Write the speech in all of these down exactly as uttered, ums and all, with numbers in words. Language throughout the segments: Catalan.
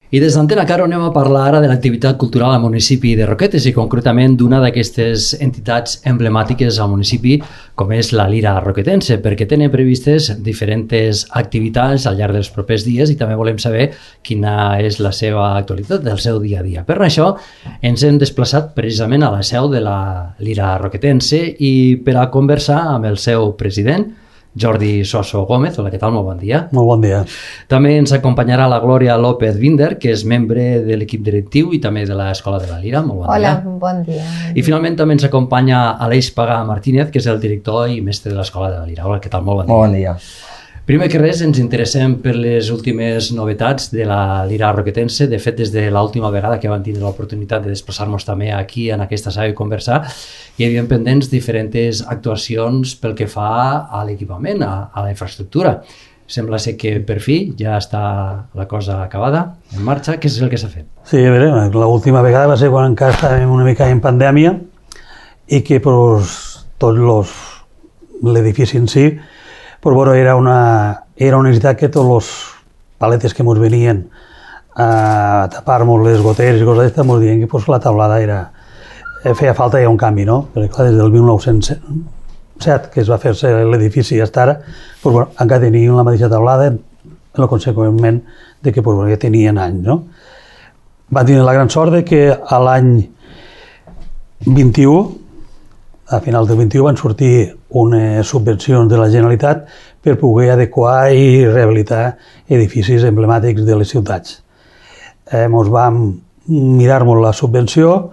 I des d'Antena Caro anem a parlar ara de l'activitat cultural al municipi de Roquetes i concretament d'una d'aquestes entitats emblemàtiques al municipi com és la Lira Roquetense, perquè tenen previstes diferents activitats al llarg dels propers dies i també volem saber quina és la seva actualitat del seu dia a dia. Per això ens hem desplaçat precisament a la seu de la Lira Roquetense i per a conversar amb el seu president, Jordi Soso Gómez. Hola, què tal? Molt bon dia. Molt bon dia. També ens acompanyarà la Glòria López Binder, que és membre de l'equip directiu i també de l'Escola de la Lira. Molt bon Hola, dia. bon dia. I finalment també ens acompanya Aleix Pagà Martínez, que és el director i mestre de l'Escola de la Lira. Hola, què tal? Molt bon dia. Molt bon dia. Primer que res, ens interessem per les últimes novetats de la Lira Roquetense. De fet, des de l'última vegada que vam tindre l'oportunitat de desplaçar-nos també aquí en aquesta sala i conversar, hi havia pendents diferents actuacions pel que fa a l'equipament, a, a la infraestructura. Sembla ser que per fi ja està la cosa acabada, en marxa. Què és el que s'ha fet? Sí, a veure, l'última vegada va ser quan encara estàvem una mica en pandèmia i que pues, tot los, l'edifici en si pues, bueno, era, una, era una necessitat que tots els paletes que ens venien a tapar-nos les goteres i coses d'aquestes ens diuen que pues, la taulada era, feia falta ja un canvi, no? Perquè clar, des del mil nou-cents set que es va fer-se l'edifici fins ara, pues, bueno, encara tenien la mateixa taulada, en conseqüentment de que pues, bueno, ja tenien anys, no? Van tenir la gran sort de que a l'any vint-i-u, a finals del vint-i-u, van sortir unes subvencions de la Generalitat per poder adequar i rehabilitar edificis emblemàtics de les ciutats. Eh, ens vam mirar-nos la subvenció,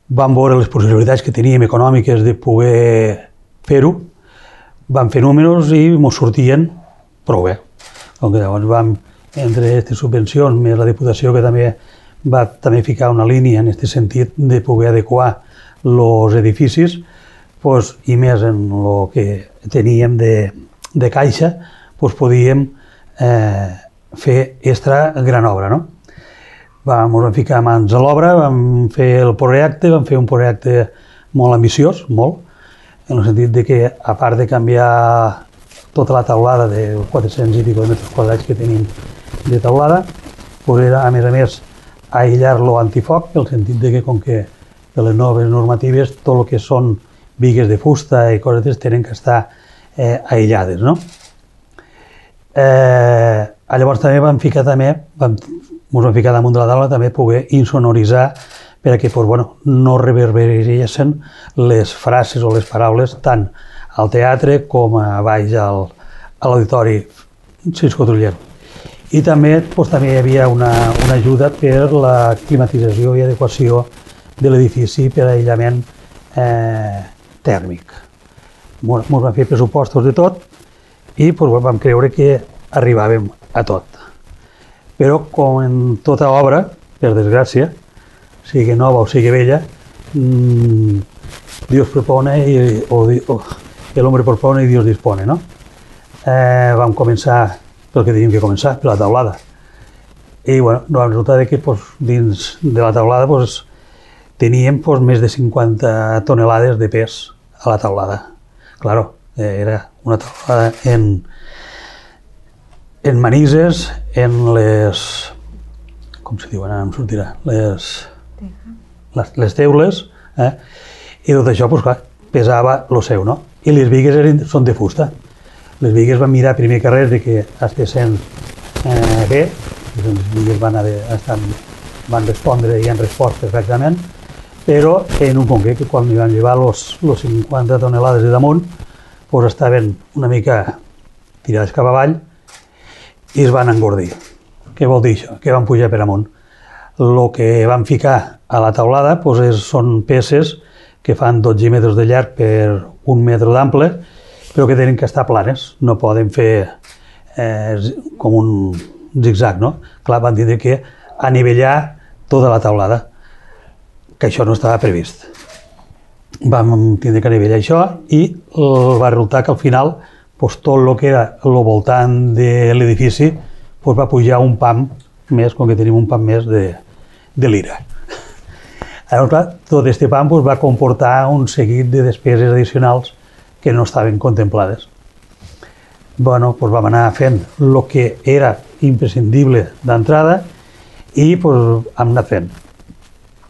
vam veure les possibilitats que teníem econòmiques de poder fer-ho, vam fer números i ens sortien prou bé. Com que llavors vam, entre aquestes subvencions, més la Diputació que també va també ficar una línia en aquest sentit de poder adequar els edificis, pues, i més en el que teníem de, de caixa, pues, podíem eh, fer extra gran obra. No? Vam, ens vam ficar mans a l'obra, vam fer el projecte, vam fer un projecte molt ambiciós, molt, en el sentit de que, a part de canviar tota la taulada de quatre-cents i pico de metres quadrats que tenim de taulada, pues era, a més a més, aïllar-lo antifoc, en el sentit de que, com que de les noves normatives, tot el que són bigues de fusta i coses d'aquestes tenen que estar eh, aïllades, no? Eh, llavors també vam ficar també, vam, ens vam ficar damunt de la taula també poder insonoritzar perquè pues, bueno, no reverberessin les frases o les paraules tant al teatre com a baix al, a l'auditori Cisco Truller. I també, pues, també hi havia una, una ajuda per la climatització i adequació de l'edifici per a aïllament eh, tèrmic. Ens vam fer pressupostos de tot i pues, vam creure que arribàvem a tot. Però com en tota obra, per desgràcia, sigui nova o sigui vella, mmm, Dios propone i, o, o el hombre propone i Dios dispone. No? Eh, vam començar pel que teníem que començar, per la taulada. I bueno, no vam resultar que pues, dins de la taulada pues, teníem pues, més de cinquanta tonelades de pes a la taulada. Claro, era una taulada en, en manises, en les... com se diuen, ara em sortirà, les, les, les teules, eh? I tot això pues, clar, pesava el seu, no? I les bigues eren, són de fusta. Les bigues van mirar primer que res de que estessin eh, bé, les bigues van, haver, estan, van respondre i han respost perfectament, però en un concret que quan hi van llevar els cinquanta tonelades de damunt pues estaven una mica tirades cap avall i es van engordir. Què vol dir això? Que van pujar per amunt. El que van ficar a la taulada pues és, són peces que fan dotze metres de llarg per un metre d'ample, però que tenen que estar planes, no poden fer eh, com un zigzag, no? Clar, van tindre que anivellar tota la taulada, que això no estava previst. Vam tindre que anivellar això i va resultar que al final pues, tot el que era el voltant de l'edifici pues, va pujar un pam més, com que tenim un pam més de, de lira. Llavors, clar, tot aquest pam pues, va comportar un seguit de despeses addicionals que no estaven contemplades. Bueno, pues vam anar fent el que era imprescindible d'entrada i pues, hem anat fent.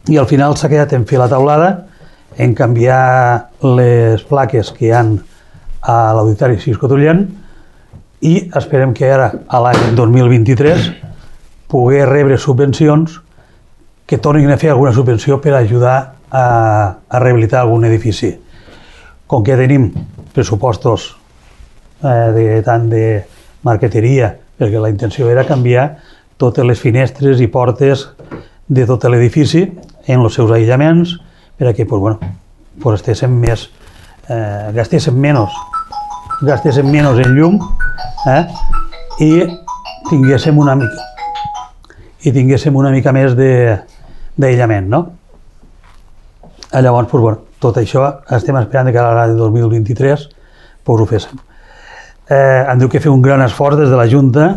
I al final s'ha quedat en fer la taulada, en canviar les plaques que hi ha a l'Auditori Cisco Tullent i esperem que ara, a l'any dos mil vint-i-tres, poder rebre subvencions que tornin a fer alguna subvenció per ajudar a, a rehabilitar algun edifici. Com que tenim pressupostos eh, de, tant de marqueteria, perquè la intenció era canviar totes les finestres i portes de tot l'edifici en els seus aïllaments, perquè pues, bueno, pues estéssim més, eh, gastéssim menys, gastéssim menys en llum eh, i tinguéssim una mica i tinguéssim una mica més d'aïllament, no? Llavors, pues, bueno, tot això estem esperant que a l'any dos mil vint-i-tres pues, ho féssim. Eh, hem de fer un gran esforç des de la Junta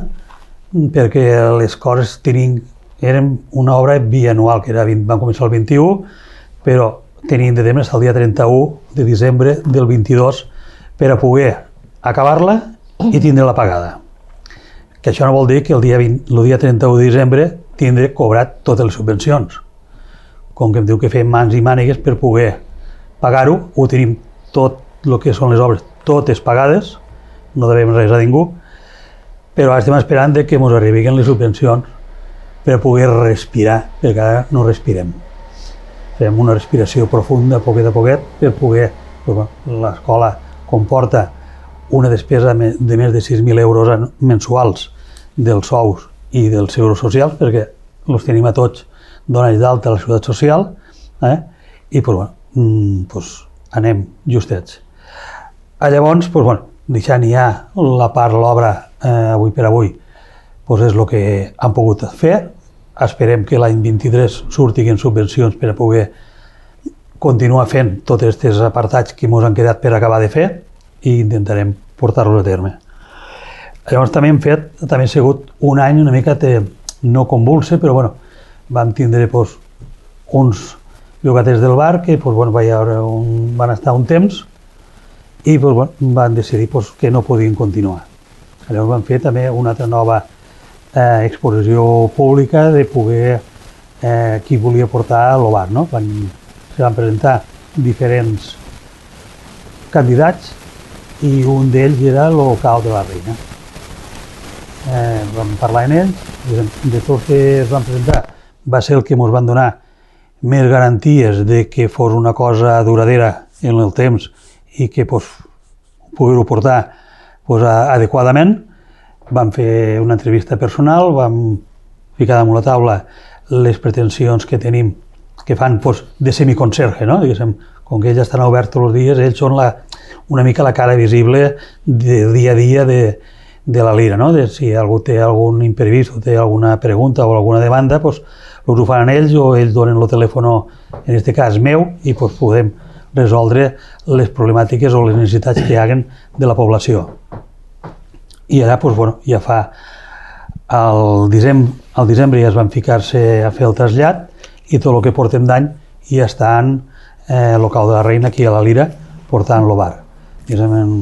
perquè les coses tenim, eren una obra bianual, que era vint, van començar el vint-i-u, però tenim de temps el dia trenta-u de desembre del vint-i-dos per a poder acabar-la i tindre-la pagada. Que això no vol dir que el dia, vint, el dia trenta-u de desembre tindré cobrat totes les subvencions. Com que em diu que fem mans i mànigues per poder pagar-ho, ho tenim tot el que són les obres, totes pagades, no devem res a ningú, però ara estem esperant que ens arribin les subvencions per poder respirar, perquè ara no respirem. Fem una respiració profunda, poquet a poquet, per poder... L'escola comporta una despesa de més de sis mil euros mensuals dels sous i dels segurs socials, perquè els tenim a tots donats d'alta a la Seguretat Social, eh? I pues, bueno, pues, anem justets. Llavors, pues, bueno, deixant ja la part, l'obra eh, avui per avui, pues és el que han pogut fer. Esperem que l'any vint-i-tres surtin subvencions per a poder continuar fent tots aquests apartats que ens han quedat per acabar de fer i intentarem portar-los a terme. Llavors també hem fet, també ha sigut un any una mica de, no convulse, però bueno, vam tindre pues, uns llogaters del bar que pues, bueno, un, van estar un temps i pues, bueno, van decidir pues, que no podien continuar. Llavors vam fer també una altra nova eh, exposició pública de poder eh, qui volia portar a l'O B A R, no? Van, se van presentar diferents candidats i un d'ells era el local de la Reina. Eh, vam parlar amb ells, de tots que es van presentar va ser el que ens van donar més garanties de que fos una cosa duradera en el temps i que pues, poder-ho portar pues, adequadament. Vam fer una entrevista personal, vam ficar damunt la taula les pretensions que tenim, que fan pues, de semiconserge, no? Diguéssim, com que ells estan oberts tots els dies, ells són la, una mica la cara visible de dia a dia de, de la Lira, no? De si algú té algun imprevist o té alguna pregunta o alguna demanda, pues, ho fan ells o ells donen el telèfon, en aquest cas meu, i pues, podem resoldre les problemàtiques o les necessitats que hi haguen de la població. I allà pues, bueno, ja fa al desembre, al desembre ja es van ficar-se a fer el trasllat i tot el que portem d'any ja està en eh, local de la Reina, aquí a la Lira, portant l'O B A R. Diguéssim, en,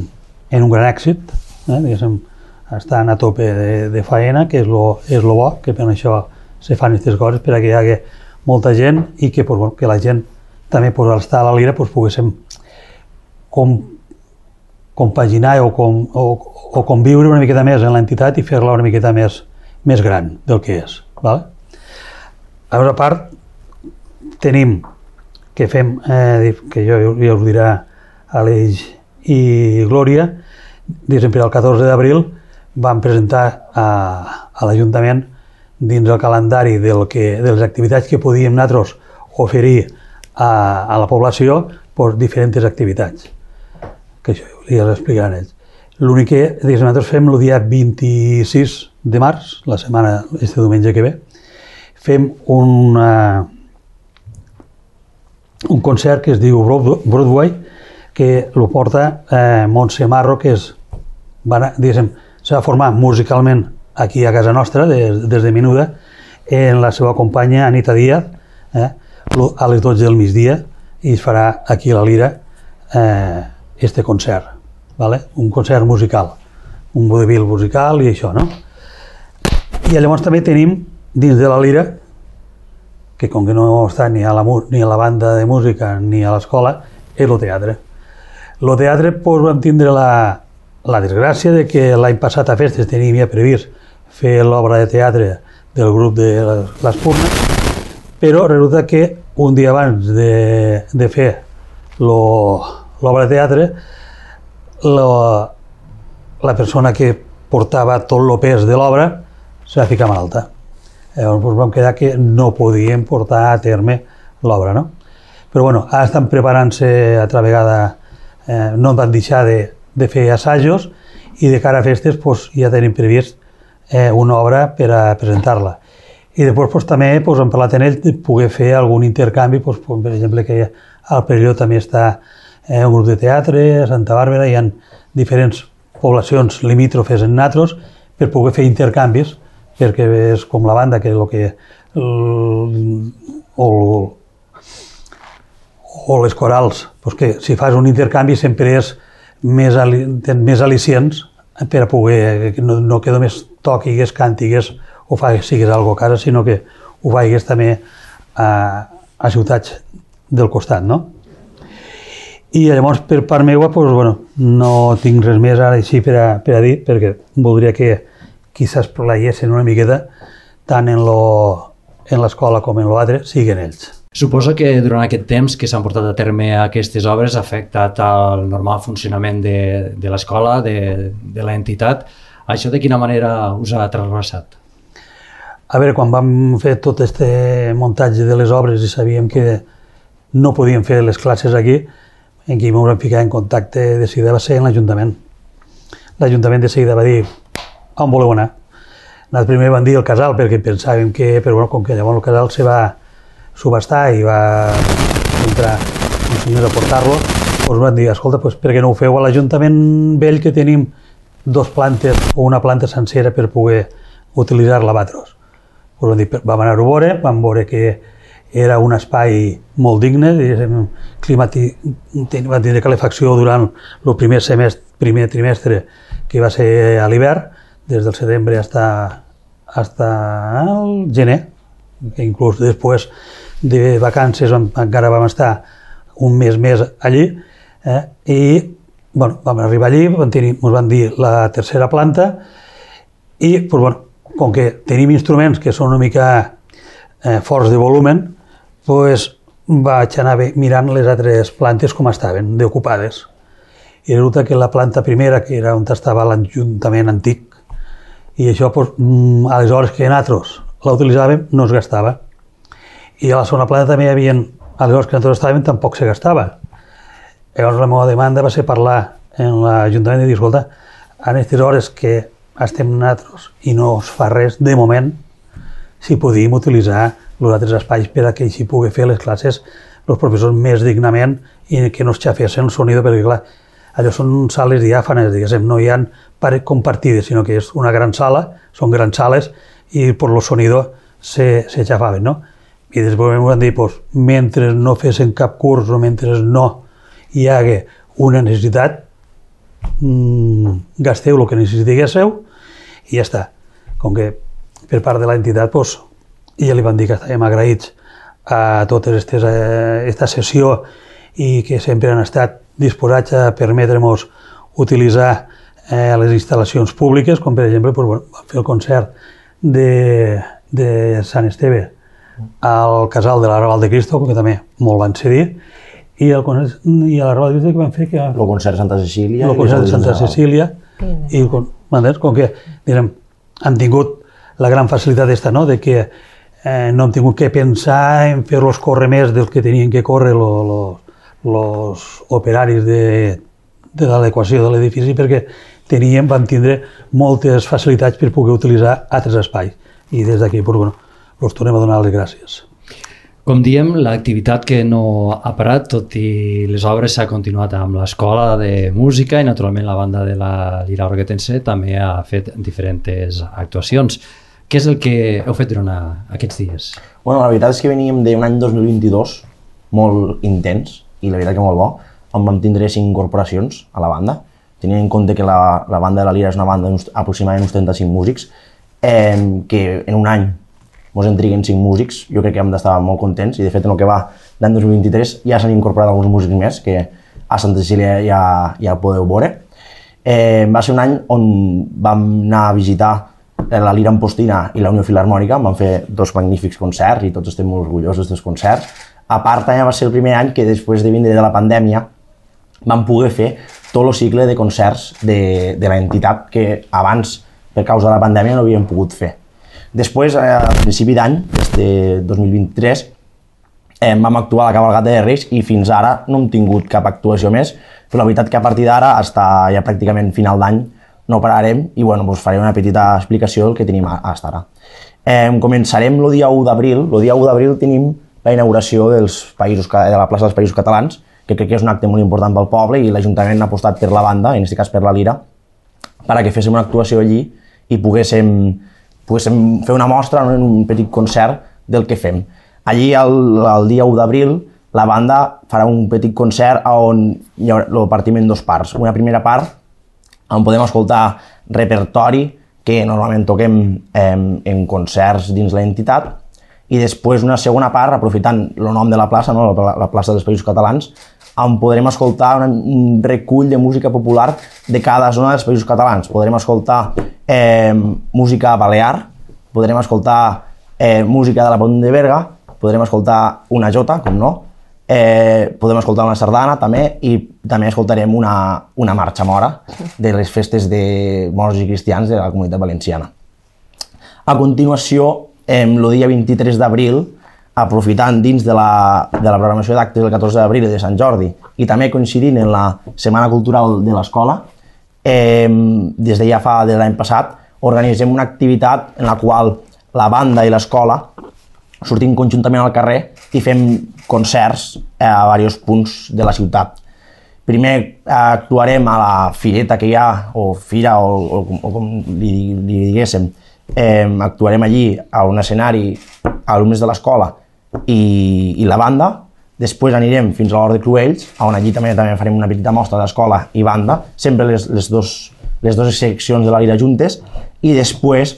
en un gran èxit, eh, diguéssim, estan a tope de, de faena, que és lo, és lo bo, que per això se fan aquestes coses, per que hi hagi molta gent i que, pues, bueno, que la gent també pues, al estar a la Lira pues, poguéssim com, compaginar o, com, o, o conviure una miqueta més en l'entitat i fer-la una miqueta més, més gran del que és. Vale? Llavors, a part, tenim que fem, eh, que jo ja us dirà Aleix i Glòria, diguéssim, per al catorze d'abril vam presentar a, a l'Ajuntament dins el calendari del que, de les activitats que podíem nosaltres oferir a, a la població pues, diferents activitats, que això ja els explicaran ells. L'únic que diguéssim, nosaltres fem el dia vint-i-sis de març, la setmana, este diumenge que ve, fem una, un concert que es diu Broadway, que el porta eh, Montse Marro, que és, s'ha va formar musicalment aquí a casa nostra, des, des de Menuda, en la seva companya Anita Díaz, eh, a les dotze del migdia, i es farà aquí a la Lira eh, este concert, vale? Un concert musical, un vodevil musical i això, no? I llavors també tenim dins de la lira, que com que no està ni a la, ni a la banda de música ni a l'escola, és el teatre. El teatre pues, vam tindre la, la desgràcia de que l'any passat a Festes teníem ja previst fer l'obra de teatre del grup de l'Espurna, però resulta que un dia abans de, de fer l'obra de teatre, la, la persona que portava tot el pes de l'obra se va ficar malalta. Llavors doncs, vam quedar que no podíem portar a terme l'obra, no? Però bueno, ara estan preparant-se altra vegada, eh, no van deixar de, de fer assajos i de cara a Festes pues, ja tenim previst eh, una obra per a presentar-la. I després pues, també pues, hem parlat en ell de poder fer algun intercanvi, pues, pues, per exemple que al Perelló també està eh, un grup de teatre, a Santa Bàrbara hi ha diferents poblacions limítrofes en natros per poder fer intercanvis, perquè és com la banda que el que o, o les corals, doncs que si fas un intercanvi sempre és més, tens més al·licients per a poder, no, no que només toquis, cantigues o facis, sigues alguna cosa a casa, sinó que ho facis també a, a ciutats del costat, no? I llavors per part meva, doncs, bueno, no tinc res més ara així per a, per a dir, perquè voldria que qui s'esplaiessin una miqueta tant en l'escola com en l'altre, siguin ells. Suposo que durant aquest temps que s'han portat a terme aquestes obres ha afectat el normal funcionament de, de l'escola, de, de l'entitat. Això de quina manera us ha trasbalsat? A veure, quan vam fer tot aquest muntatge de les obres i sabíem que no podíem fer les classes aquí, en qui ens vam ficar en contacte de seguida va ser en l'Ajuntament. L'Ajuntament de seguida va dir on voleu anar. Nosaltres primer van dir el casal perquè pensàvem que, però bueno, com que llavors el casal se va subhastar i va entrar un senyor a portar-lo, doncs van dir, escolta, doncs per què no ho feu a l'Ajuntament vell que tenim dos plantes o una planta sencera per poder utilitzar l'abatros. Doncs vam dir, vam anar-ho a veure, vam veure que era un espai molt digne, climati... van tindre calefacció durant el primer semestre, primer trimestre que va ser a l'hivern, des del setembre hasta, hasta el gener, que inclús després de vacances encara vam estar un mes més allí, eh? I bueno, vam arribar allí, vam tenir, ens van dir la tercera planta i pues, bueno, com que tenim instruments que són una mica eh, forts de volumen, pues, vaig anar mirant les altres plantes com estaven, deocupades. I resulta que la planta primera, que era on estava l'Ajuntament antic, i això, pues, a les hores que nosaltres la utilitzàvem, no es gastava. I a la segona planta també hi havia, a les hores que nosaltres estàvem, tampoc se gastava. Llavors la meva demanda va ser parlar en l'Ajuntament i dir, escolta, en aquestes hores que estem nosaltres i no es fa res, de moment, si podíem utilitzar els altres espais per a que així pugui fer les classes els professors més dignament i que no es xafessin el sonido, perquè clar, allò són sales diàfanes, diguéssim, no hi ha paret compartides, sinó que és una gran sala, són grans sales i per el sonido se, se xafaven, no? I després em van dir, pues, mentre no fessin cap curs o mentre no hi hagi una necessitat, mmm, gasteu el que necessitiguéssiu i ja està. Com que per part de l'entitat, pues, ja li van dir que estàvem agraïts a tota aquesta sessió i que sempre han estat disposats a permetre-nos utilitzar eh, les instal·lacions públiques, com per exemple pues, bueno, vam fer el concert de, de Sant Esteve al Casal de la Raval de Cristo, que també molt van cedir, i, el, i a la Raval de Cristo que van fer... Que, el concert de Santa Cecília. El concert de Santa Cecília. I com que direm, han tingut la gran facilitat d'esta, no?, de que eh, no hem tingut que pensar en fer-los córrer més del que tenien que córrer els operaris de, de l'adequació de l'edifici, perquè teníem, vam tindre moltes facilitats per poder utilitzar altres espais. I des d'aquí, pues, bueno, els tornem a donar les gràcies. Com diem, l'activitat que no ha parat, tot i les obres, s'ha continuat amb l'escola de música i naturalment la banda de la Lira Roquetense també ha fet diferents actuacions. Què és el que heu fet durant aquests dies? Bueno, la veritat és que veníem d'un any dos mil vint-i-dos molt intens i la veritat que molt bo, on vam tindre cinc incorporacions a la banda, tenint en compte que la, la banda de la Lira és una banda aproximadament uns trenta-cinc músics, eh, que en un any ens en triguen cinc músics, jo crec que hem d'estar molt contents i de fet en el que va l'any dos mil vint-i-tres ja s'han incorporat alguns músics més que a Santa Cecília ja, ja podeu veure. Eh, va ser un any on vam anar a visitar la Lira Ampostina i la Unió Filharmònica, vam fer dos magnífics concerts i tots estem molt orgullosos dels concerts. A part, també va ser el primer any que després de vindre de la pandèmia vam poder fer tot el cicle de concerts de, de l'entitat que abans, per causa de la pandèmia, no havíem pogut fer. Després, a principi d'any, des de dos mil vint-i-tres, eh, vam actuar a la Cabalgata de Reis i fins ara no hem tingut cap actuació més, però la veritat que a partir d'ara, fins ja pràcticament final d'any, no pararem i bueno, doncs faré una petita explicació del que tenim fins ara. Eh, començarem el dia u d'abril. El dia u d'abril tenim la inauguració dels països, de la plaça dels Països Catalans, que crec que és un acte molt important pel poble i l'Ajuntament ha apostat per la banda, en aquest cas per la Lira, perquè féssim una actuació allí i poguéssim, poguéssim fer una mostra, un petit concert del que fem. Allí, el, el dia u d'abril, la banda farà un petit concert on hi haurà el partiment en dos parts. Una primera part on podem escoltar repertori que normalment toquem eh, en concerts dins l'entitat, i després una segona part, aprofitant el nom de la plaça, no? la, la plaça dels Països Catalans, on podrem escoltar un, un recull de música popular de cada zona dels Països Catalans. Podrem escoltar eh, música balear, podrem escoltar eh, música de la Pont de Berga, podrem escoltar una jota, com no, eh, podem escoltar una sardana també, i també escoltarem una, una marxa mora de les festes de morts i cristians de la Comunitat Valenciana. A continuació, el dia vint-i-tres d'abril, aprofitant dins de la, de la programació d'actes del catorze d'abril de Sant Jordi i també coincidint en la Setmana Cultural de l'Escola, eh, des de ja fa de l'any passat, organitzem una activitat en la qual la banda i l'escola sortim conjuntament al carrer i fem concerts a diversos punts de la ciutat. Primer actuarem a la fireta que hi ha, o fira, o, o, o com li, li diguéssim, Eh, actuarem allí a un escenari alumnes de l'escola i, i la banda. Després anirem fins a l'Hort de Cruells, on allí també, també farem una petita mostra d'escola i banda, sempre les, les, dos, les dues seccions de la Lira juntes, i després,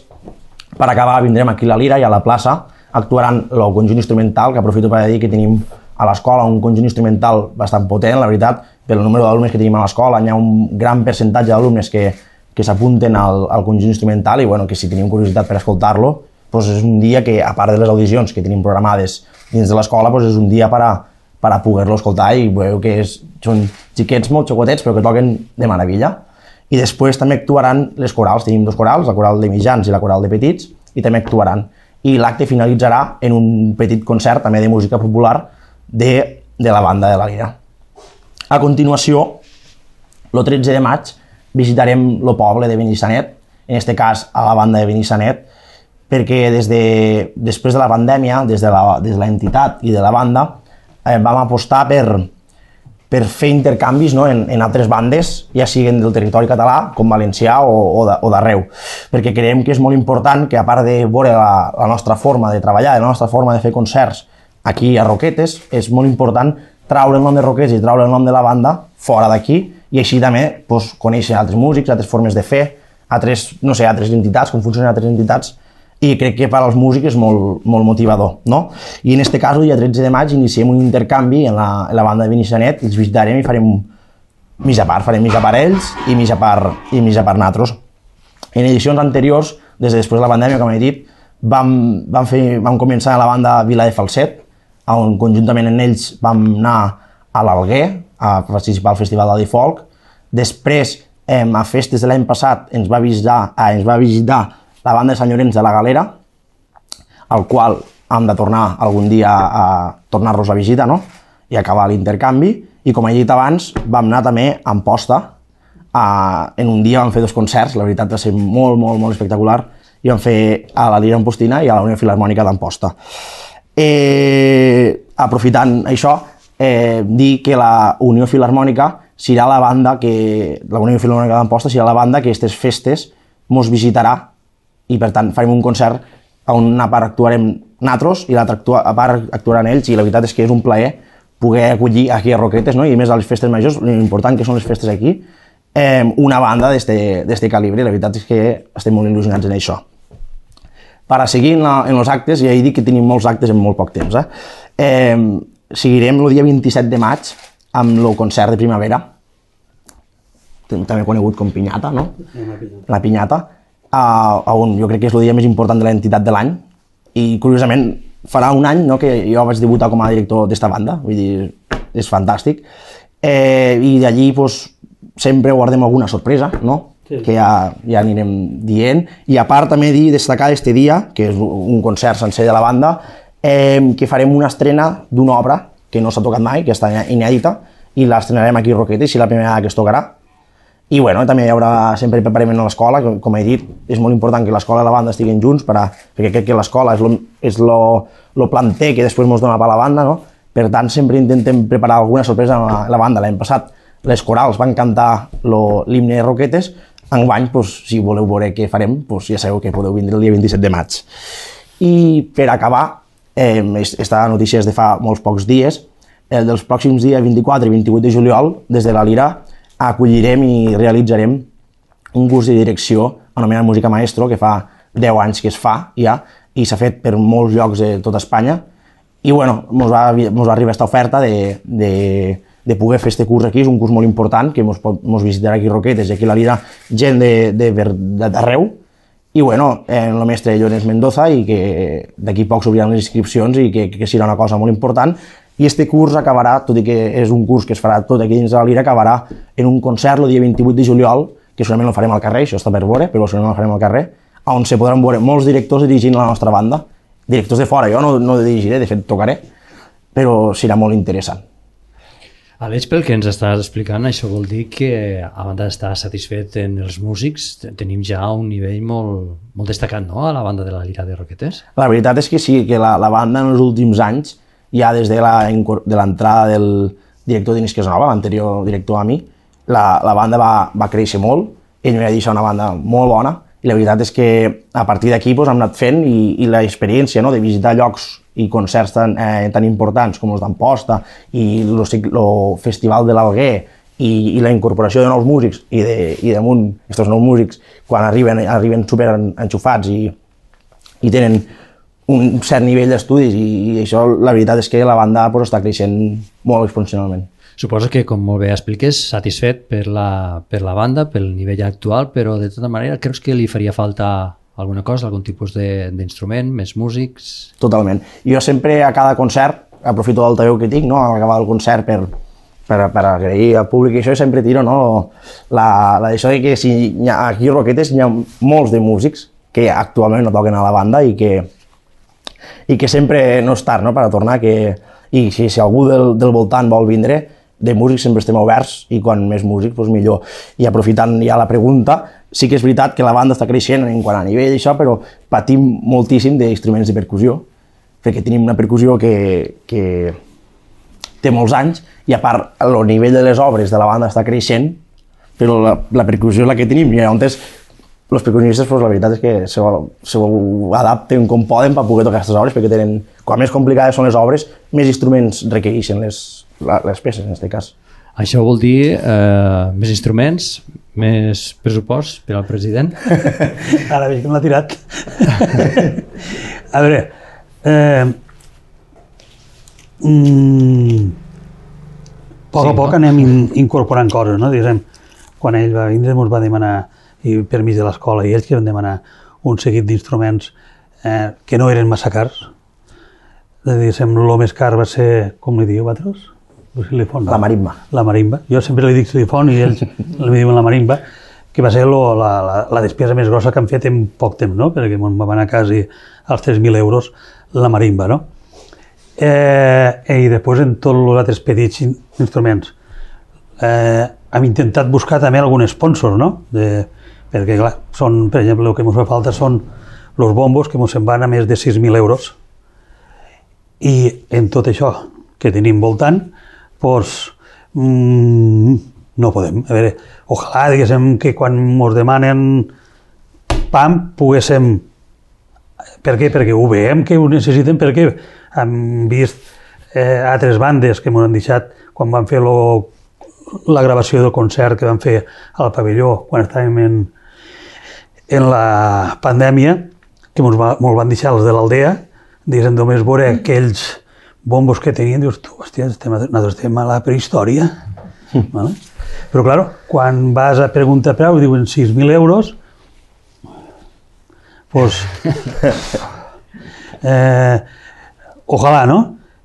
per acabar, vindrem aquí a la Lira i a la plaça, actuaran el conjunt instrumental, que aprofito per dir que tenim a l'escola un conjunt instrumental bastant potent, la veritat, pel número d'alumnes que tenim a l'escola. Hi ha un gran percentatge d'alumnes que que s'apunten al, al conjunt instrumental i bueno, que si tenim curiositat per escoltar-lo, doncs és un dia que, a part de les audicions que tenim programades dins de l'escola, doncs és un dia per a, per a poder-lo escoltar i veieu que és, són xiquets molt xocotets però que toquen de meravella. I després també actuaran les corals, tenim dos corals, la coral de mitjans i la coral de petits, i també actuaran. I l'acte finalitzarà en un petit concert també de música popular de, de la banda de la Lira. A continuació, el tretze de maig, visitarem el poble de Benissanet, en aquest cas a la banda de Benissanet, perquè des de, després de la pandèmia, des de l'entitat i de la banda, eh, vam apostar per, per fer intercanvis, no, en, en altres bandes, ja siguin del territori català, com valencià o, o d'arreu, perquè creiem que és molt important que, a part de veure la, la nostra forma de treballar, la nostra forma de fer concerts aquí a Roquetes, és molt important traure el nom de Roquetes i traure el nom de la banda fora d'aquí, i així també doncs, conèixer altres músics, altres formes de fer, altres, no sé, altres entitats, com funcionen altres entitats, i crec que per als músics és molt, molt motivador, no? I en aquest cas, el dia tretze de maig, iniciem un intercanvi en la, en la banda de Benissanet, els visitarem i farem mig a part, farem mig a part ells i mig a part, i mig a part nosaltres. En edicions anteriors, des de després de la pandèmia, com he dit, vam, vam, fer, vam començar a la banda Vila de Falset, on conjuntament amb ells vam anar a l'Alguer, a participar al Festival d'Adi Folk. Després, eh, a festes de l'any passat, ens va, visitar, eh, ens va visitar la banda de Sant Llorenç de la Galera, al qual hem de tornar algun dia a tornar-los a visitar, no? I acabar l'intercanvi. I com he dit abans, vam anar també a Amposta. Eh, en un dia vam fer dos concerts, la veritat va ser molt, molt, molt espectacular, i vam fer a la Lira Ampostina i a la Unió Filharmònica d'Amposta. Eh, aprofitant això, Eh, dir que la Unió Filharmònica serà la banda que, la Unió Filharmònica d'Amposta serà la banda que aquestes festes mos visitarà i per tant farem un concert on una part actuarem nosaltres i l'altra part actuaran ells, i la veritat és que és un plaer poder acollir aquí a Roquetes, no? I més a les festes majors, l'important que són les festes aquí, eh, una banda d'este calibre, la veritat és que estem molt il·lusionats en això. per a seguir en, la, en els actes, i ja he dit que tenim molts actes en molt poc temps. Eh? Eh, seguirem el dia vint-i-set de maig amb el concert de primavera, també conegut com Pinyata, no? La Pinyata, on jo crec que és el dia més important de l'entitat de l'any, i curiosament farà un any, no, que jo vaig debutar com a director d'esta banda, vull dir, és fantàstic, eh, i d'allí pues, sempre guardem alguna sorpresa, no? Sí. Que ja, ja anirem dient, i a part també dir, destacar este dia, que és un concert sencer de la banda, eh, que farem una estrena d'una obra que no s'ha tocat mai, que està inèdita, i l'estrenarem aquí a Roquetes, i la primera que es tocarà. I bueno, també hi haurà sempre preparament a l'escola, com he dit, és molt important que l'escola i la banda estiguin junts, per a, perquè crec que l'escola és lo, és lo, lo planter que després ens dona per la banda, no? Per tant, sempre intentem preparar alguna sorpresa a la, la banda. L'any passat les corals van cantar l'himne de Roquetes, enguany, pues, si voleu veure què farem, pues, ja sabeu que podeu vindre el dia vint-i-set de maig. I per acabar, eh, esta notícia és de fa molts pocs dies, el dels pròxims dies vint-i-quatre i vint-i-vuit de juliol, des de la Lira, acollirem i realitzarem un curs de direcció anomenat Música Maestro, que fa deu anys que es fa ja, i s'ha fet per molts llocs de tota Espanya. I bueno, ens va, mos va arribar aquesta oferta de, de, de poder fer aquest curs aquí, és un curs molt important, que ens visitarà aquí a Roquetes, i aquí a la Lira gent d'arreu. I bueno, eh, el mestre Llorenç Mendoza, i que d'aquí poc s'obriran les inscripcions i que, que serà una cosa molt important. I este curs acabarà, tot i que és un curs que es farà tot aquí dins de la Lira, acabarà en un concert el dia vint-i-vuit de juliol, que segurament el farem al carrer, això està per veure, però segurament el farem al carrer, on se podran veure molts directors dirigint la nostra banda, directors de fora, jo no, no dirigiré, de fet tocaré, però serà molt interessant. Aleix, pel que ens estàs explicant, això vol dir que, a banda d'estar satisfet en els músics, tenim ja un nivell molt, molt destacat, no?, a la banda de la Lira de Roquetes. La veritat és que sí, que la, la banda en els últims anys, ja des de l'entrada del director d'Inés Casanova, l'anterior director a mi, la, la banda va, va créixer molt, ell m'ha deixat una banda molt bona, i la veritat és que a partir d'aquí pues, hem anat fent, i, i l'experiència, no?, de visitar llocs i concerts tan, eh, tan importants com els d'Amposta i el Festival de l'Alguer, i, i la incorporació de nous músics, i, de, i damunt aquests nous músics, quan arriben, arriben super enxufats i, i tenen un cert nivell d'estudis, i, i això la veritat és que la banda pues, està creixent molt exponencialment. Suposo que, com molt bé expliques, satisfet per la, per la banda, pel nivell actual, però de tota manera creus que li faria falta alguna cosa, algun tipus d'instrument, més músics? Totalment. Jo sempre a cada concert, aprofito l'altaveu que tinc, no?, a l'acabar el concert per, per, per agrair al públic, i això sempre tiro, no?, la, la d'això de que si ha, aquí a Roquetes hi ha molts de músics que actualment no toquen a la banda i que i que sempre no és tard, no?, per a tornar, que, i si, si algú del, del voltant vol vindre, de músics sempre estem oberts, i quan més músics, doncs millor. I aprofitant ja la pregunta, sí que és veritat que la banda està creixent en quant a nivell d'això, però patim moltíssim d'instruments de percussió, perquè tenim una percussió que, que té molts anys, i a part el nivell de les obres de la banda està creixent, però la, la percussió és la que tenim, i llavors els percussionistes, pues, la veritat és que se ho, se ho adapten com poden per poder tocar aquestes obres, perquè tenen, quan més complicades són les obres, més instruments requereixen les, les peces, en aquest cas. Això vol dir eh, més instruments, més pressupost per al president? Ara veig que me l'ha tirat. A veure, eh, mm, a poc sí, a poc no? anem in, incorporant coses, no? Diguem, quan ell va vindre ens va demanar, i per mig de l'escola, i ells que van demanar un seguit d'instruments eh, que no eren massa cars. Diguéssim, el més car va ser, com li diu, vosaltres? Xilifon, la marimba. La marimba. Jo sempre li dic xilifon i ells li diuen la marimba, que va ser lo, la, la, la despesa més grossa que han fet en poc temps, no? Perquè em va anar quasi als tres mil euros la marimba, no? Eh, I després en tots els altres petits instruments. Eh, hem intentat buscar també algun sponsor, no? De, perquè, clar, són, per exemple, el que ens fa falta són els bombos, que ens en van a més de sis mil euros. I en tot això que tenim voltant, doncs, mmm, no podem. A veure, ojalà, diguéssim, que quan ens demanen pam, poguéssim... Per què? Perquè ho veiem que ho necessiten, perquè hem vist eh, altres bandes que ens han deixat quan van fer lo, la gravació del concert que van fer al pavelló quan estàvem en, en la pandèmia, que ens va, van deixar els de l'aldea, diguéssim, només veure aquells bombos que tenien, dius, tu, hòstia, estem, nosaltres estem a la prehistòria. Mm. Vale? Però, clar, quan vas a preguntar preu i diuen sis mil euros, doncs, eh, ojalà, no?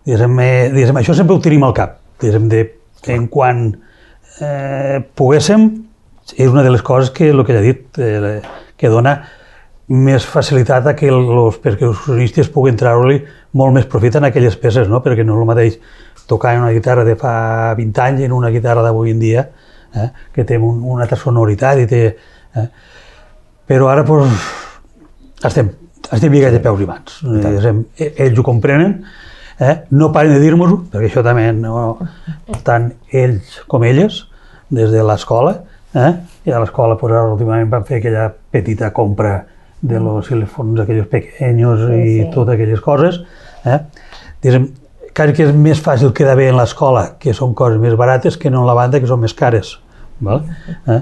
Diguéssim, eh, diguéssim, això sempre ho tenim al cap. Diguéssim, de, que en quan eh, poguéssim, és una de les coses que, el que ja he dit, eh, que dona més facilitat a que els percussionistes puguin treure-li molt més profit en aquelles peces, no? Perquè no és el mateix tocar en una guitarra de fa vint anys i en una guitarra d'avui en dia, eh? Que té un, una altra sonoritat i té... Eh? Però ara, doncs, estem, estem lligats de peus i mans. Eh, ells ho comprenen, eh? No paren de dir-nos-ho, perquè això també, no, tant ells com elles, des de l'escola, eh? I a l'escola, pues, ara, últimament van fer aquella petita compra de los telèfons aquells pequeños i sí, sí. Totes aquelles coses. Eh? Diguem, quasi que és més fàcil quedar bé en l'escola, que són coses més barates, que no en la banda, que són més cares. Val? Eh?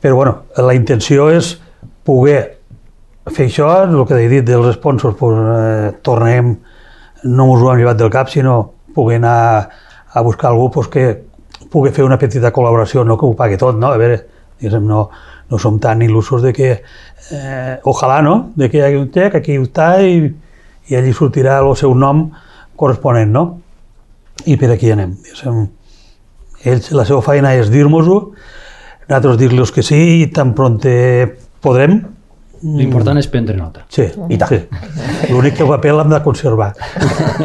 Però, bueno, la intenció és poder fer això, el que he dit dels sponsors, pues, eh, tornem, no ens ho hem llevat del cap, sinó poder anar a buscar algú pues, que pugui fer una petita col·laboració, no que ho pagui tot, no? A veure, diguem, no, no som tan il·lusos de que, eh, ojalà, no?, de que hi hagi un xec, aquí està i, i allí sortirà el seu nom corresponent, no? I per aquí anem. Diguem, ells, la seva feina és dir-nos-ho, nosaltres dir-los que sí i tan pront podrem. L'important és prendre nota. Sí, i tant. Sí. L'únic que el paper l'hem de conservar.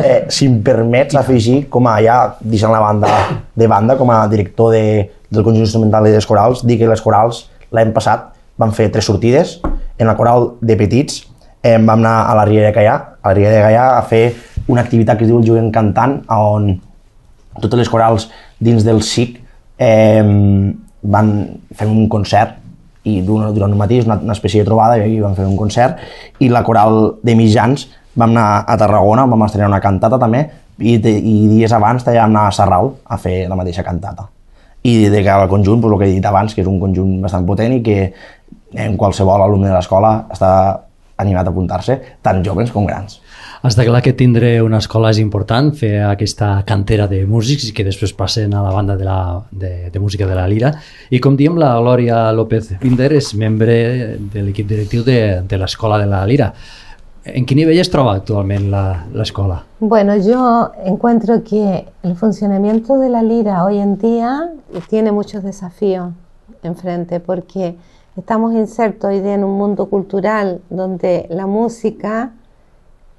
Eh, si em permets afegir, com a ja deixant la banda de banda, com a director de, del conjunt instrumental i dels corals, dir que les corals l'any passat vam fer tres sortides. En la coral de petits eh, vam anar a la Riera de Gaià, a la Riera de Gaià a fer una activitat que es diu el Jovent Cantant, on totes les corals dins del S I C eh, van fer un concert i durant, durant un matí és una, una espècie de trobada i vam fer un concert, i la coral de mitjans vam anar a Tarragona, vam estrenar una cantata també, i, de, i dies abans també vam anar a Sarral a fer la mateixa cantata. I de cara al conjunt, pues, el que he dit abans, que és un conjunt bastant potent i que en qualsevol alumne de l'escola està animat a apuntar-se, tant joves com grans. Està clar que tindre una escola és important, fer aquesta cantera de músics i que després passen a la banda de, la, de, de música de la Lira. I com diem, la Glòria López Binder és membre de l'equip directiu de, de l'escola de la Lira. ¿En qué nivel se troba actualmente la, la escuela? Bueno, yo encuentro que el funcionamiento de la Lira hoy en día tiene muchos desafíos enfrente, porque estamos insertos hoy día en un mundo cultural donde la música,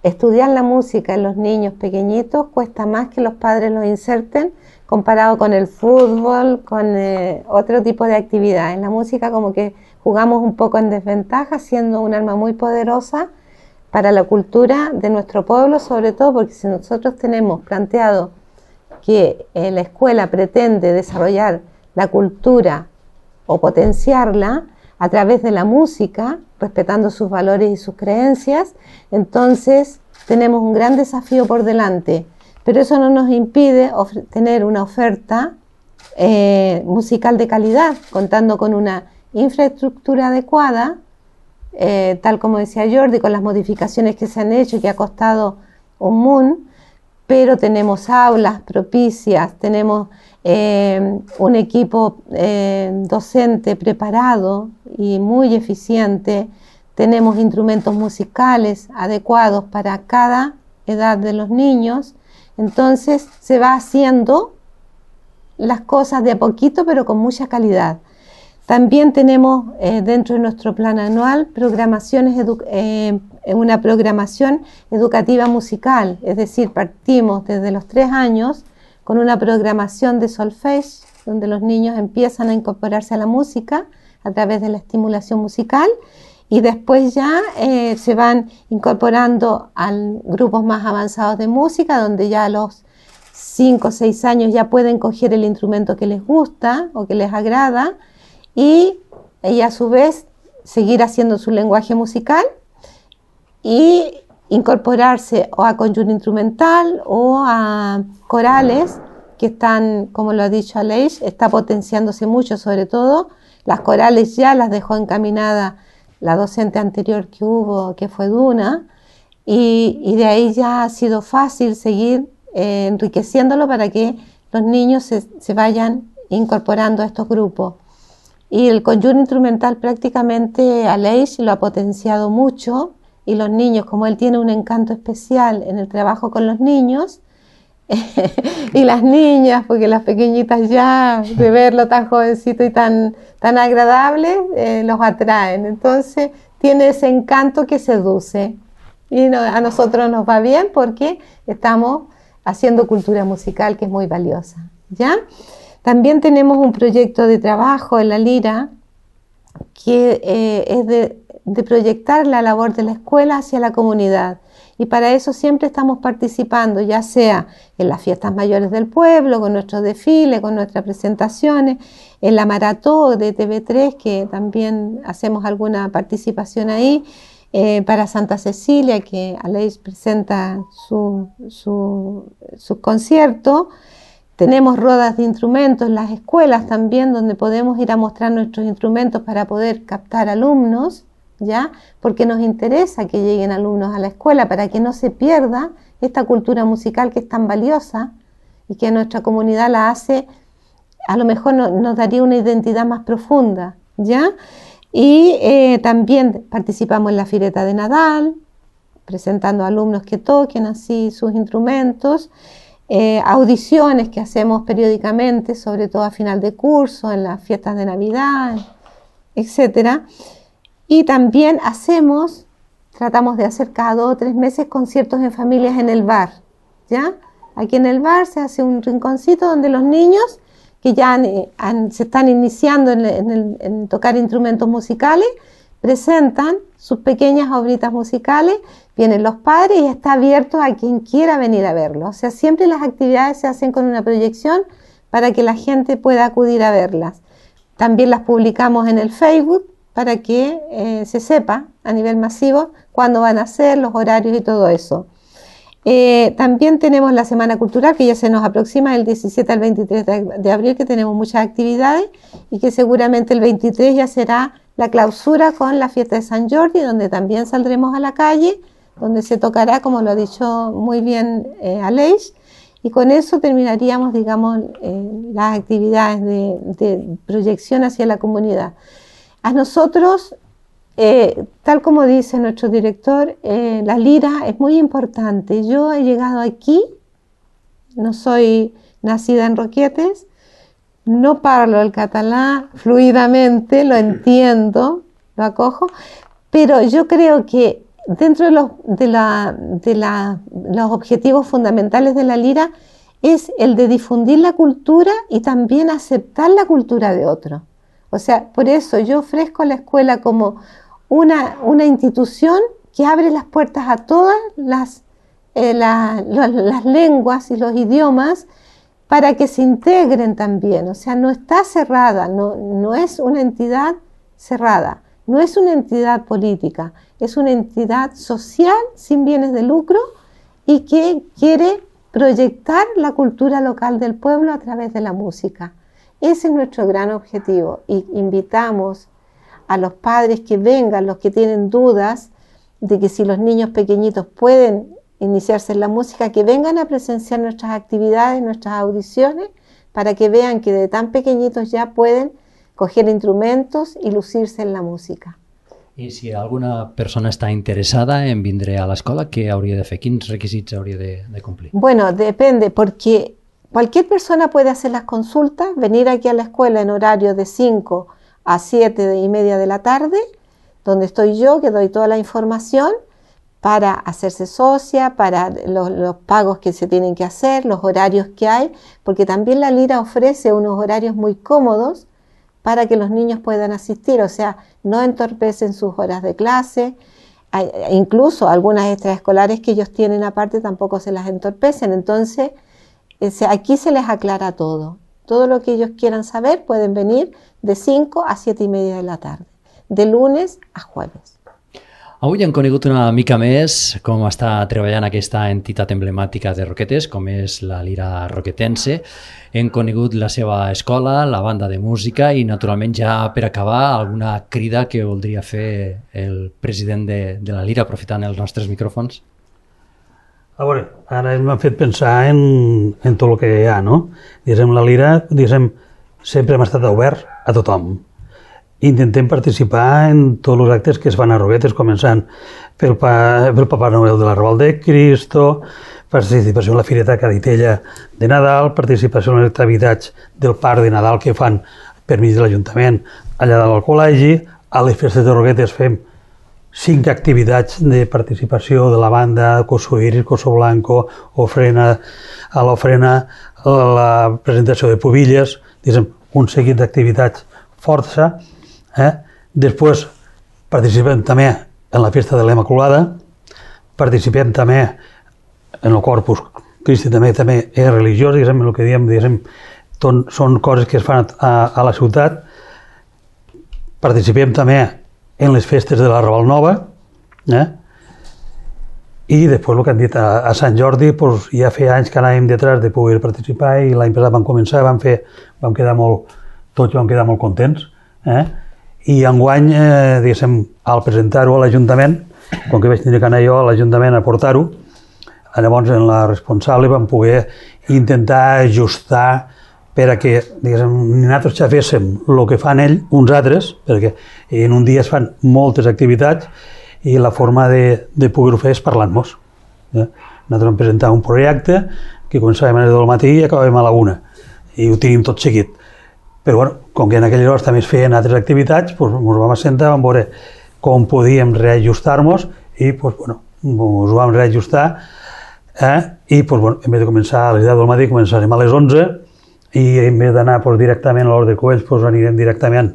estudiar la música en los niños pequeñitos cuesta más que los padres los inserten comparado con el fútbol, con eh, otro tipo de actividades. En la música como que jugamos un poco en desventaja, siendo un arma muy poderosa para la cultura de nuestro pueblo, sobre todo porque si nosotros tenemos planteado que eh, la escuela pretende desarrollar la cultura o potenciarla a través de la música, respetando sus valores y sus creencias, entonces tenemos un gran desafío por delante, pero eso no nos impide tener una oferta eh, musical de calidad, contando con una infraestructura adecuada, Eh, tal como decía Jordi, con las modificaciones que se han hecho y que ha costado un mundo, pero tenemos aulas propicias, tenemos eh, un equipo eh, docente preparado y muy eficiente, tenemos instrumentos musicales adecuados para cada edad de los niños, entonces se va haciendo las cosas de a poquito pero con mucha calidad. También tenemos eh, dentro de nuestro plan anual programaciones eh, una programación educativa musical, es decir, partimos desde los tres años con una programación de solfege, donde los niños empiezan a incorporarse a la música a través de la estimulación musical y después ya eh, se van incorporando a grupos más avanzados de música, donde ya a los cinco o seis años ya pueden coger el instrumento que les gusta o que les agrada, y, y a su vez seguir haciendo su lenguaje musical y incorporarse o a conjunto instrumental o a corales que están, como lo ha dicho Aleix, está potenciándose mucho, sobre todo las corales ya las dejó encaminada la docente anterior que hubo, que fue Duna, y, y de ahí ya ha sido fácil seguir eh, enriqueciéndolo para que los niños se, se vayan incorporando a estos grupos. Y el conjunto instrumental prácticamente Aleix lo ha potenciado mucho, y los niños, como él tiene un encanto especial en el trabajo con los niños, y las niñas, porque las pequeñitas ya, de verlo tan jovencito y tan, tan agradable, eh, los atraen. Entonces tiene ese encanto que seduce. Y no, a nosotros nos va bien porque estamos haciendo cultura musical, que es muy valiosa, ¿ya? También tenemos un proyecto de trabajo en la Lira que eh, es de, de proyectar la labor de la escuela hacia la comunidad. Y para eso siempre estamos participando, ya sea en las fiestas mayores del pueblo, con nuestros desfiles, con nuestras presentaciones, en la maratón de T V tres, que también hacemos alguna participación ahí, eh, para Santa Cecilia, que Aleix presenta su, su, su concierto. Tenemos rodas de instrumentos en las escuelas también, donde podemos ir a mostrar nuestros instrumentos para poder captar alumnos, ¿ya? Porque nos interesa que lleguen alumnos a la escuela para que no se pierda esta cultura musical que es tan valiosa y que nuestra comunidad la hace, a lo mejor no, nos daría una identidad más profunda, ¿ya? Y eh, también participamos en la Fireta de Nadal, presentando alumnos que toquen así sus instrumentos. Eh, audiciones que hacemos periódicamente, sobre todo a final de curso, en las fiestas de Navidad, etcétera. Y también hacemos, tratamos de hacer cada dos o tres meses conciertos en familias en el bar, ¿ya? Aquí en el bar se hace un rinconcito donde los niños que ya han, han, se están iniciando en, en, el, en tocar instrumentos musicales, presentan sus pequeñas obritas musicales, vienen los padres y está abierto a quien quiera venir a verlo. O sea, siempre las actividades se hacen con una proyección para que la gente pueda acudir a verlas. También las publicamos en el Facebook para que eh, se sepa a nivel masivo cuándo van a ser, los horarios y todo eso. Eh, también tenemos la Semana Cultural, que ya se nos aproxima del diecisiete al veintitrés de abril, que tenemos muchas actividades y que seguramente el veintitrés ya será la clausura con la fiesta de San Jordi, donde también saldremos a la calle, donde se tocará, como lo ha dicho muy bien eh, Aleix, y con eso terminaríamos, digamos, eh, las actividades de, de proyección hacia la comunidad. A nosotros, eh, tal como dice nuestro director, eh, la lira es muy importante. Yo he llegado aquí, no soy nacida en Roquetes, no parlo el catalán fluidamente, lo entiendo, lo acojo, pero yo creo que dentro de los, de la, de la, los objetivos fundamentales de la lira es el de difundir la cultura y también aceptar la cultura de otro. O sea, por eso yo ofrezco a la escuela como una, una institución que abre las puertas a todas las, eh, la, la, las lenguas y los idiomas para que se integren también. O sea, no está cerrada, no, no es una entidad cerrada, no es una entidad política, es una entidad social sin bienes de lucro y que quiere proyectar la cultura local del pueblo a través de la música. Ese es nuestro gran objetivo y invitamos a los padres que vengan, los que tienen dudas de que si los niños pequeñitos pueden iniciarse en la música, que vengan a presenciar nuestras actividades, nuestras audiciones, para que vean que de tan pequeñitos ya pueden coger instrumentos y lucirse en la música. I si alguna persona està interessada en vindre a l'escola, què hauria de fer? Quins requisits hauria de, de complir? Bueno, depende, porque cualquier persona puede hacer las consultas, venir aquí a la escuela en horario de cinco a siete y media de la tarde, donde estoy yo, que doy toda la información para hacerse socia, para los, los pagos que se tienen que hacer, los horarios que hay, porque también la Lira ofrece unos horarios muy cómodos para que los niños puedan asistir, o sea, no entorpecen sus horas de clase, hay, incluso algunas extraescolares que ellos tienen aparte tampoco se las entorpecen, entonces eh, aquí se les aclara todo, todo lo que ellos quieran saber pueden venir de cinco a siete y media de la tarde, de lunes a jueves. Avui hem conegut una mica més com està treballant aquesta entitat emblemàtica de Roquetes, com és la Lira Roquetense. Hem conegut la seva escola, la banda de música i, naturalment, ja per acabar, alguna crida que voldria fer el president de, de la Lira, aprofitant els nostres micròfons. A veure, ara m'ha fet pensar en, en tot el que hi ha, no? Diguem, la Lira, diguem, sempre hem estat obert a tothom. Intentem participar en tots els actes que es fan a Roquetes, començant pel, pa, pel Papa Noel de l'Arrabal de Cristo, participació en la Fireta Caditella de Nadal, participació en les activitats del Parc de Nadal que fan per mig de l'Ajuntament allà dalt al col·legi. A les festes de Roquetes fem cinc activitats de participació de la banda, Coso Iris, Coso Blanco, ofrena, a l'ofrena, la presentació de pubilles, diguem, un seguit d'activitats força. Eh? Després participem també en la festa de l'Immaculada, participem també en el Corpus Christi, també, també és religiós, diguem, el que diem, diguem, ton, són coses que es fan a, a la ciutat. Participem també en les festes de la Raval Nova, eh? I després el que han dit a, a Sant Jordi, doncs, ja feia anys que anàvem detrás de poder participar i l'any passat vam començar, vam fer, vam quedar molt, tots vam quedar molt contents, eh? I enguany, eh, diguéssim, al presentar-ho a l'Ajuntament, com que vaig tenir que anar jo a l'Ajuntament a portar-ho, llavors en la responsable vam poder intentar ajustar per a que, diguéssim, nosaltres ja féssim el que fan ells, uns altres, perquè en un dia es fan moltes activitats i la forma de, de poder-ho fer és parlant-nos. Eh? Nosaltres vam presentar un projecte que començàvem a les del matí i acabàvem a la una, i ho tenim tot seguit. Però, bueno, com que en aquelles hores també es feien altres activitats, doncs ens vam assentar, vam veure com podíem reajustar-nos i, doncs, bueno, ens vam reajustar, eh? I, doncs, bueno, en vez de començar a les deu del matí, començarem a les onze i en vez d'anar doncs, directament a l'Hort de Cubells, doncs, anirem directament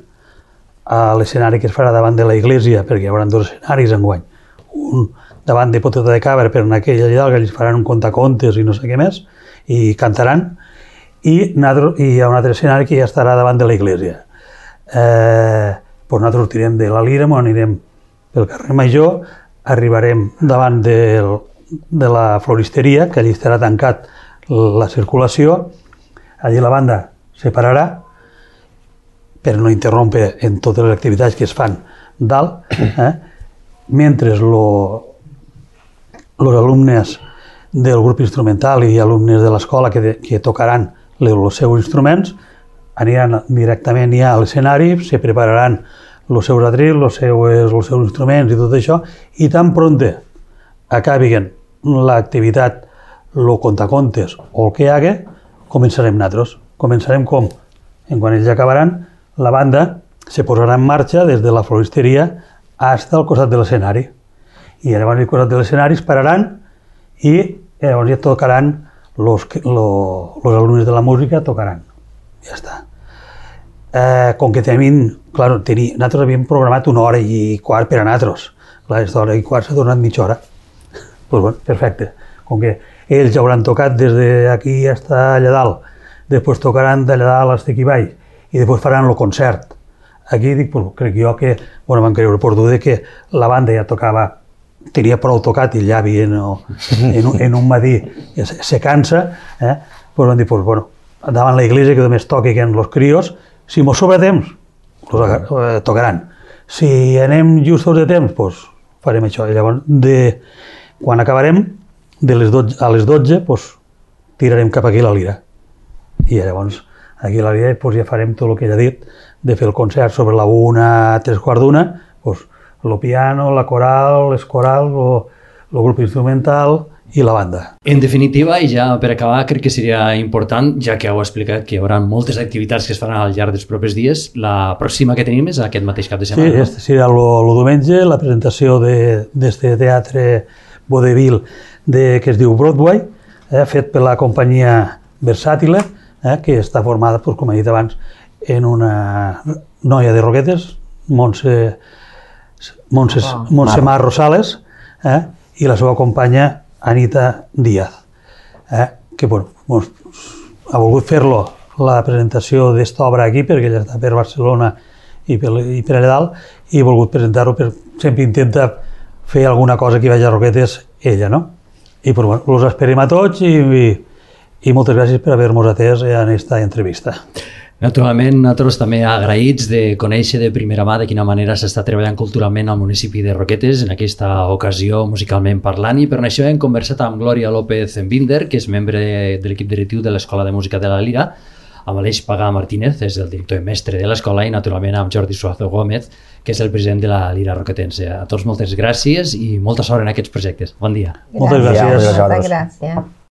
a l'escenari que es farà davant de la iglesia, perquè hi haurà dos escenaris enguany. Un davant de Poteta de Cabra, per en aquella allà, que ells faran un contacontes i no sé què més, i cantaran. I, i hi ha un altre escenari que ja estarà davant de la iglesia. Eh, doncs nosaltres sortirem de la Lira, anirem pel carrer Major, arribarem davant del, de la floristeria, que allí estarà tancat la circulació, allí la banda se pararà per no interrompre en totes les activitats que es fan dalt, eh? Mentre els alumnes del grup instrumental i alumnes de l'escola que, que tocaran els seus instruments aniran directament ja a l'escenari, se prepararan els seus atrils, els seus, els seus instruments i tot això, i tan pronte acabin l'activitat, el contacontes o el que hi hagi, començarem nosaltres. Començarem com? En quan ells acabaran, la banda se posarà en marxa des de la floristeria fins al costat de l'escenari. I llavors al costat de l'escenari es pararan i llavors ja tocaran Los, lo, los alumnes de la música tocaran. Ja està. Eh, com que tenim, clar, teni, nosaltres havíem programat una hora i quart per a nosaltres. Clar, aquesta hora i quart s'ha tornat mitja hora. Pues bueno, perfecte. Com que ells hauran tocat des d'aquí fins allà dalt, després tocaran d'allà dalt fins aquí baix, i després faran el concert. Aquí dic, pues, crec jo que, bueno, vam creure per dur que la banda ja tocava, tenia prou tocat i el llavi en, en, un, en un matí se, se cansa, eh? Pues vam dir, pues, bueno, davant la iglesia que només toquen els crios, si mos sobra temps, los eh, tocaran. Si anem justos de temps, pues, farem això. I llavors, de, quan acabarem, de les dotze, a les dotze, pues, tirarem cap aquí la Lira. I llavors, aquí a la Lira, pues, ja farem tot el que ja he dit, de fer el concert sobre la una, tres quarts d'una, pues, el piano, la coral, les corals, el grup instrumental i la banda. En definitiva, i ja per acabar, crec que seria important, ja que heu explicat que hi haurà moltes activitats que es faran al llarg dels propers dies, la pròxima que tenim és aquest mateix cap de setmana. Sí, este serà el diumenge, la presentació d'aquest de, teatre vodevil de, que es diu Broadway, eh, fet per la companyia Versàtile, eh, que està formada, pues, com he dit abans, en una noia de Roquetes, Montse Montse, Montse Mar Rosales, eh, i la seva companya Anita Díaz, eh, que bueno, mos, ha volgut fer-lo la presentació d'esta obra aquí, perquè ella està per Barcelona i per, i per allà dalt, i ha volgut presentar-ho, per, sempre intenta fer alguna cosa que hi vagi a Roquetes, ella, no? I pues, bueno, els esperem a tots i, i, i moltes gràcies per haver-nos atès en aquesta entrevista. Naturalment, nosaltres també agraïts de conèixer de primera mà de quina manera s'està treballant culturalment al municipi de Roquetes, en aquesta ocasió musicalment parlant, i per això hem conversat amb Glòria López Binder, que és membre de l'equip directiu de l'Escola de Música de la Lira, amb Aleix Pagà Martínez, és el director i mestre de l'escola, i naturalment amb Jordi Suazo Gómez, que és el president de la Lira Roquetense. A tots moltes gràcies i molta sort en aquests projectes. Bon dia. Moltes gràcies. Moltes gràcies.